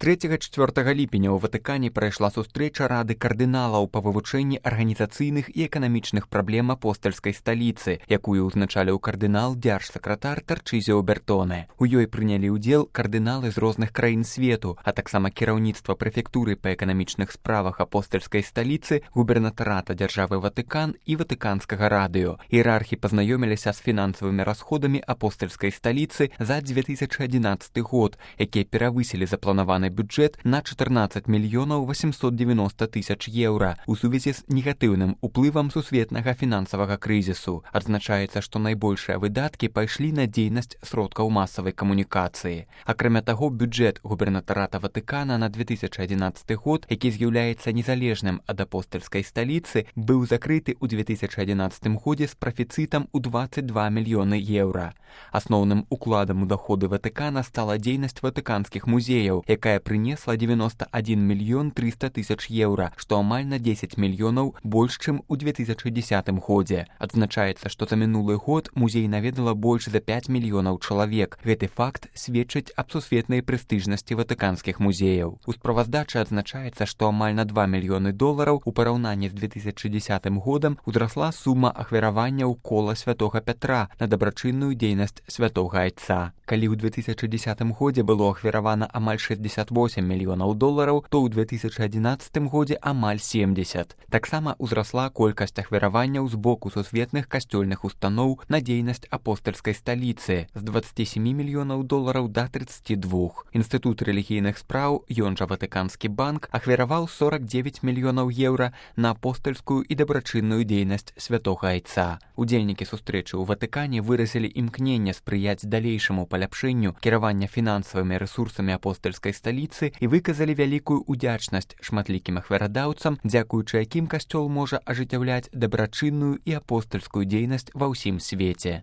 3-4 ліпеня ў Ватыкане прайшла сустрэча Рады кардыналаў па вывучэнні арганізацыйных і эканамічных праблем апостальскай сталіцы, якую ўзначаліў кардынал дзяржсакратар Тарчызіо Бертоне. У ёй прынялі ўдзел кардыналы з розных краін свету, а таксама кіраўніцтва прэфектуры па эканамічных справах апостальскай сталіцы, губернатарата дзяржавы Ватыкан і Ватыканскага радыё. Іерархі пазнаёміліся з фінансавымі расходамі апостальскай сталіцы за 2011 год, якія перавысілі запланаваны бюджэт на 14 мільёнаў 890 тысяч еўра у сувязі з негатыўным уплывам сусветнага фінансавага крызісу. Адзначаецца, што найбольшыя выдаткі пайшлі на дзейнасць сродкаў масавай камунікацыі. Акрамя таго, бюджэт губернатарата Ватыкана на 2011 год, які з'яўляецца незалежным ад апостальскай сталіцы, быў закрыты ў 2011 годзе з прафіцытам у 22 мільёны еўра. Асноўным укладам у даходы Ватыкана стала дзейнасць ватыканскіх музеяў, якая прынесла 91 мільён 300 тысяч еўра, што амаль на 10 мільёнаў больш, чым у 2010 годзе. Адзначаецца, што за мінулы год музей наведала больш за 5 мільёнаў чалавек. Гэты факт сведчыць аб сусветнай прэстыжнасці ватыканскіх музеяў. У справаздачы адзначаецца, што амаль на 2 мільёны долараў у параўнанні з 2010 годам узрасла сума ахвяраванняў кола святога Пятра на дабрачынную дзейнасць святога Айца. Калі ў 2010 годзе было ахвяравана амаль 68 мільёнаў долараў, то ў 2011 годзе амаль 70. Таксама ўзрасла колькасць ахвяраванняў з боку сусветных касцёльных устаноў на дзейнасць апостальскай сталіцы з 27 мільёнаў долараў да 32. Інстытут рэлігійных спраў, ён жа Ватыканскі банк, ахвяраваў 49 мільёнаў еўра на апостальскую і дабрачынную дзейнасць святога Айца. Удзельнікі сустрэчы ў Ватыкане выразілі імкненне спрыяць далейшаму паляпшэнню кіравання фінансавымі рэсурсамі апостальскай сталіцы і выказалі вялікую удзячнасць шматлікім ахвярадаўцам, дзякуючы якім касцёл можа ажыццяўляць дабрачынную і апостальскую дзейнасць ва ўсім свеце.